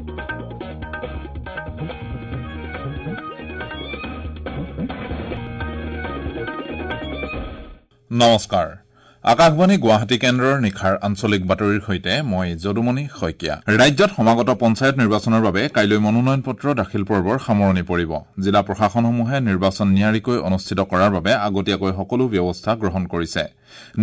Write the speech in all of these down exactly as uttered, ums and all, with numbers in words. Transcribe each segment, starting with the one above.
নমস্কাৰ, আকাশবাণী গুৱাহাটী কেন্দ্ৰৰ নিশাৰ আঞ্চলিক বাতৰিৰ সৈতে মই যদুমণি শইকীয়া। ৰাজ্যত সমাগত পঞ্চায়ত নিৰ্বাচনৰ বাবে কাইলৈ মনোনয়ন পত্ৰ দাখিল পৰ্বৰ সামৰণি পৰিব। জিলা প্ৰশাসনসমূহে নিৰ্বাচন নিয়াৰিকৈ অনুষ্ঠিত কৰাৰ বাবে আগতীয়াকৈ সকলো ব্যৱস্থা গ্ৰহণ কৰিছে।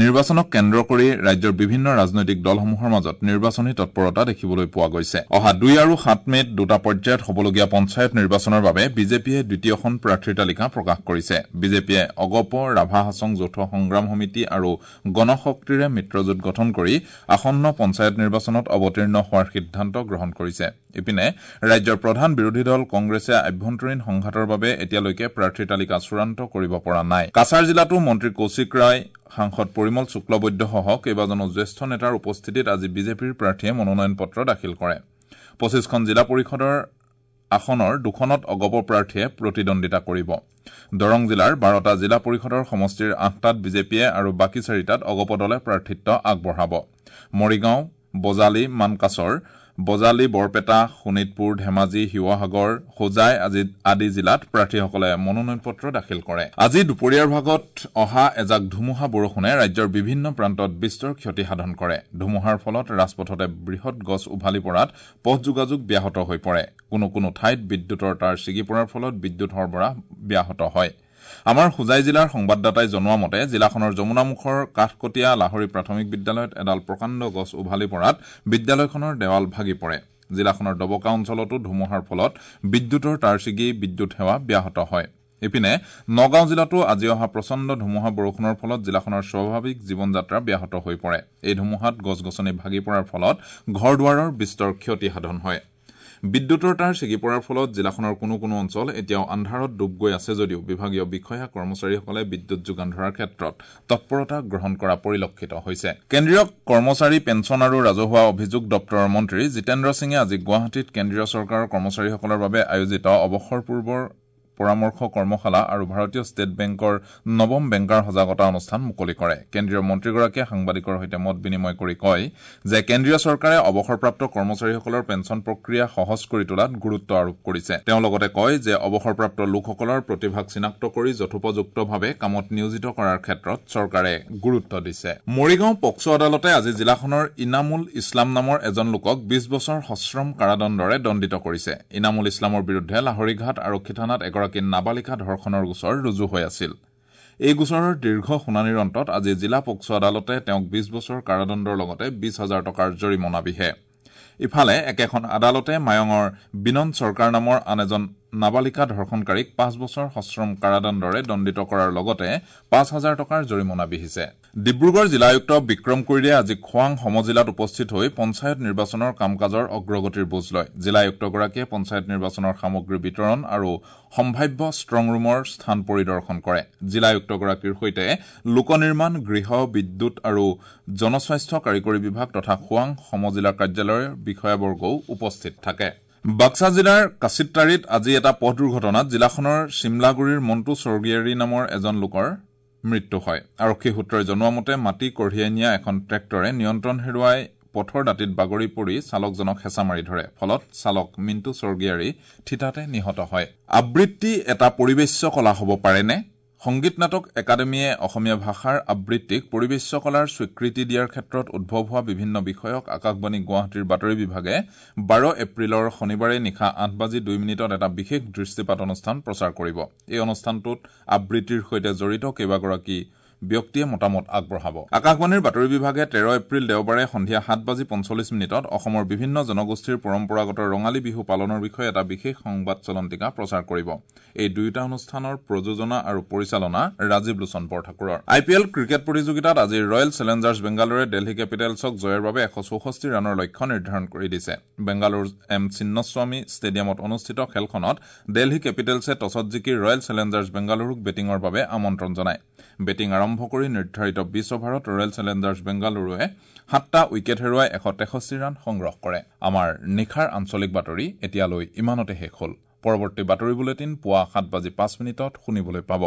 নিৰ্বাচনক কেন্দ্ৰ কৰি ৰাজ্যৰ বিভিন্ন ৰাজনৈতিক দলসমূহৰ মাজত নিৰ্বাচনী তৎপৰতা দেখিবলৈ পোৱা গৈছে। অহা দুই আৰু সাত মে'ত দুটা পৰ্যায়ত হ'বলগীয়া পঞ্চায়ত নিৰ্বাচনৰ বাবে বিজেপিয়ে দ্বিতীয়খন প্ৰাৰ্থীৰ তালিকা প্ৰকাশ কৰিছে। বিজেপিয়ে অগপ, ৰাভা হাছং যৌথ সংগ্ৰাম সমিতি আৰু গণশক্তিৰে মিত্ৰজোঁট গঠন কৰি আসন্ন পঞ্চায়ত নিৰ্বাচনত অৱতীৰ্ণ হোৱাৰ সিদ্ধান্ত গ্ৰহণ কৰিছে। ইপিনে ৰাজ্যৰ প্ৰধান বিৰোধী দল কংগ্ৰেছে আভ্যন্তৰীণ সংঘাতৰ বাবে এতিয়ালৈকে প্ৰাৰ্থীৰ তালিকা চূড়ান্ত কৰিব পৰা নাই। কাছাৰ জিলাতো মন্ত্ৰী কৌশিক ৰায়, সাংসদ পৰিমল শুক্লবৈদ্যসহ কেইবাজনো জ্যেষ্ঠ নেতাৰ উপস্থিতিত আজি বিজেপিৰ প্ৰাৰ্থীয়ে মনোনয়ন পত্ৰ দাখিল কৰে। পঁচিছখন জিলা পৰিষদৰ আসনৰ দুখনত অগপ প্ৰাৰ্থীয়ে প্ৰতিদ্বন্দ্বিতা কৰিব। দৰং জিলাৰ বাৰটা জিলা পৰিষদৰ সমষ্টিৰ আঠটাত বিজেপিয়ে আৰু বাকী চাৰিটাত অগপ দলে প্ৰাৰ্থিত্ব আগবঢ়াব। মৰিগাঁও, বজালী, মানকাচৰ, বজালী, বৰপেটা, শোণিতপুৰ, ধেমাজি, শিৱসাগৰ, হোজাই আদি জিলাত প্ৰাৰ্থীসকলে মনোনয়ন পত্ৰ দাখিল কৰে। আজি দুপৰীয়াৰ ভাগত অহা এজাক ধুমুহা বৰষুণে ৰাজ্যৰ বিভিন্ন প্ৰান্তত বিস্তৰ ক্ষতি সাধন কৰে। ধুমুহাৰ ফলত ৰাজপথতে বৃহৎ গছ উভালি পৰাত পথ যোগাযোগ ব্যাহত হৈ পৰে। কোনো কোনো ঠাইত বিদ্যুতৰ তাঁৰ ছিগি পৰাৰ ফলত বিদ্যুৎ সৰবৰাহ ব্যাহত হয়। আমাৰ হোজাই জিলাৰ সংবাদদাতাই জনোৱা মতে জিলাখনৰ যমুনামুখৰ কাঠকটীয়া লাহৰী প্ৰাথমিক বিদ্যালয়ত এডাল প্ৰকাণ্ড গছ উভালি পৰাত বিদ্যালয়খনৰ দেৱাল ভাগি পৰে। জিলাখনৰ ডবকা অঞ্চলতো ধুমুহাৰ ফলত বিদ্যুতৰ তাঁৰ ছিগি বিদ্যুৎ সেৱা ব্যাহত হয়। ইপিনে নগাঁও জিলাতো আজি অহা প্ৰচণ্ড ধুমুহা বৰষুণৰ ফলত জিলাখনৰ স্বাভাৱিক জীৱনযাত্ৰা ব্যাহত হৈ পৰে। এই ধুমুহাত গছ গছনি ভাগি পৰাৰ ফলত ঘৰ দুৱাৰৰ বিস্তৰ ক্ষতি সাধন হয়। বিদ্যুতৰ তাঁৰ ছিগি পৰাৰ ফলত জিলাখনৰ কোনো কোনো অঞ্চল এতিয়াও আন্ধাৰত ডুব গৈ আছে যদিও বিভাগীয় বিষয়া কৰ্মচাৰীসকলে বিদ্যুৎ যোগান ধৰাৰ ক্ষেত্ৰত তৎপৰতা গ্ৰহণ কৰা পৰিলক্ষিত হৈছে। কেন্দ্ৰীয় কৰ্মচাৰী পেঞ্চন আৰু ৰাজহুৱা অভিযোগ দপ্তৰৰ মন্ত্ৰী জিতেন্দ্ৰ সিঙে আজি গুৱাহাটীত কেন্দ্ৰীয় চৰকাৰৰ কৰ্মচাৰীসকলৰ বাবে আয়োজিত অৱসৰ পূৰ্বৰ পৰামৰ্শ কৰ্মশালা আৰু ভাৰতীয় ষ্টেট বেংকৰ নৱম বেংকাৰ সজাগতা অনুষ্ঠান মুকলি কৰে। কেন্দ্ৰীয় মন্ত্ৰীগৰাকীয়ে সাংবাদিকৰ সৈতে মত বিনিময় কৰি কয় যে কেন্দ্ৰীয় চৰকাৰে অৱসৰপ্ৰাপ্ত কৰ্মচাৰীসকলৰ পেঞ্চন প্ৰক্ৰিয়া সহজ কৰি তোলাত গুৰুত্ব আৰোপ কৰিছে। তেওঁ লগতে কয় যে অৱসৰপ্ৰাপ্ত লোকসকলৰ প্ৰতিভাক চিনাক্ত কৰি যথোপযুক্তভাৱে কামত নিয়োজিত কৰাৰ ক্ষেত্ৰত চৰকাৰে গুৰুত্ব দিছে। মৰিগাঁও পক্সো আদালতে আজি জিলাখনৰ ইনামুল ইছলাম নামৰ এজন লোকক বিশ বছৰ সশ্ৰম কাৰাদণ্ডৰে দণ্ডিত কৰিছে। ইনামুল ইছলামৰ বিৰুদ্ধে লাহৰীঘাট আৰক্ষী থানাত এগৰাকী নাবালিকা ধৰ্ষণৰ গোচৰ ৰুজু হৈ আছিল। এই গোচৰৰ দীৰ্ঘ শুনানিৰ অন্তত আজি জিলা পক্সো আদালতে তেওঁক বিশ বছৰ কাৰাদণ্ডৰ লগতে বিশ হাজাৰ টকাৰ জৰিমনা বিহে। ইফালে একেখন আদালতে মায়ঙৰ বিনন চৰকাৰ নামৰ আন এজন নাবালিকা ধৰ্ষণকাৰীক পাঁচ বছৰ সশ্ৰম কাৰাদণ্ডৰে দণ্ডিত কৰাৰ লগতে পাঁচ হাজাৰ টকাৰ জৰিমনা বিহিছে। ডিব্ৰুগড় জিলা আয়ুক্ত বিক্ৰম কৈৰীয়ে আজি খোৱাং সমজিলাত উপস্থিত হৈ পঞ্চায়ত নিৰ্বাচনৰ কাম কাজৰ অগ্ৰগতিৰ বুজ লয়। জিলা আয়ুক্তগৰাকীয়ে পঞ্চায়ত নিৰ্বাচনৰ সামগ্ৰী বিতৰণ আৰু সম্ভাৱ্য ষ্ট্ৰং ৰুমৰ স্থান পৰিদৰ্শন কৰে। জিলা আয়ুক্তগৰাকীৰ সৈতে লোক নিৰ্মাণ, গৃহ, বিদ্যুৎ আৰু জনস্বাস্থ্য কাৰিকৰী বিভাগ তথা খোৱাং সমজিলা কাৰ্যালয়ৰ বিষয়াবৰ্গও উপস্থিত থাকে। বাক্সা জিলাৰ কাছিত্তাৰীত আজি এটা পথ দুৰ্ঘটনাত জিলাখনৰ চিমলাগুৰিৰ মণ্টু স্বৰ্গীয়াৰী নামৰ এজন লোকৰ মৃত্যু হয়। আৰক্ষী সূত্ৰই জনোৱা মতে মাটি কঢ়িয়াই নিয়া এখন ট্ৰেক্টৰে নিয়ন্ত্ৰণ হেৰুৱাই পথৰ দাঁতিত বাগৰি পৰি চালকজনক হেঁচা মাৰি ধৰে। ফলত চালক মিণ্টু স্বৰ্গীয়াৰী থিতাতে নিহত হয়। আবৃত্তি এটা পৰিৱেশ্য কলা হ'ব পাৰেনে? সংগীত নাটক একাডেমীয়ে অসমীয়া ভাষাৰ আবৃত্তিক পৰিৱেশ্য কলাৰ স্বীকৃতি দিয়াৰ ক্ষেত্ৰত উদ্ভৱ হোৱা বিভিন্ন বিষয়ক আকাশবাণী গুৱাহাটীৰ বাতৰি বিভাগে বাৰ এপ্ৰিলৰ শনিবাৰে নিশা আঠ বাজি দুই মিনিটত এটা বিশেষ দৃষ্টিপাত অনুষ্ঠান প্ৰচাৰ কৰিব। এই অনুষ্ঠানটোত আবৃত্তিৰ সৈতে জড়িত কেইবাগৰাকী ব্যক্তিয়ে মতামত আগবঢ়াব। আকাশবাণীৰ বাতৰি বিভাগে তেৰ এপ্ৰিল দেওবাৰে সন্ধিয়া সাত বাজি পঞ্চল্লিছ মিনিটত অসমৰ বিভিন্ন জনগোষ্ঠীৰ পৰম্পৰাগত ৰঙালী বিহু পালনৰ বিষয়ে এটা বিশেষ সংবাদ চলন্তিকা প্ৰচাৰ কৰিব। এই দুয়োটা অনুষ্ঠানৰ প্ৰযোজনা আৰু পৰিচালনা ৰাজীৱ লোচন বৰঠাকুৰৰ। আই পি এল ক্ৰিকেট প্ৰতিযোগিতাত আজি ৰয়েল চেলেঞ্জাৰ্ছ বেংগালুৰুৱে দিল্লী কেপিটেলছক জয়ৰ বাবে এশ চৌষষ্ঠি ৰানৰ লক্ষ্য নিৰ্ধাৰণ কৰি দিছে। বেংগালুৰুৰ এম চিন্নস্বামী ষ্টেডিয়ামত অনুষ্ঠিত খেলখনত দিল্লী কেপিটেলছে টছত জিকি ৰয়েল চেলেঞ্জাৰ্ছ বেংগালুৰুক বেটিঙৰ বাবে আমন্ত্ৰণ জনায়। বেটিং আৰম্ভ কৰি নিৰ্ধাৰিত বিশ অভাৰত ৰয়েল চেলেঞ্জাৰ্ছ বেংগালুৰুৱে সাতটা উইকেট হেৰুৱাই এশ তেষষ্ঠি ৰান সংগ্ৰহ কৰে। আমাৰ নিশাৰ আঞ্চলিক বাতৰি এতিয়ালৈ ইমানতে শেষ হ'ল। পৰৱৰ্তী বাতৰি বুলেটিন পুৱা সাত বাজি পাঁচ মিনিটত শুনিবলৈ পাব।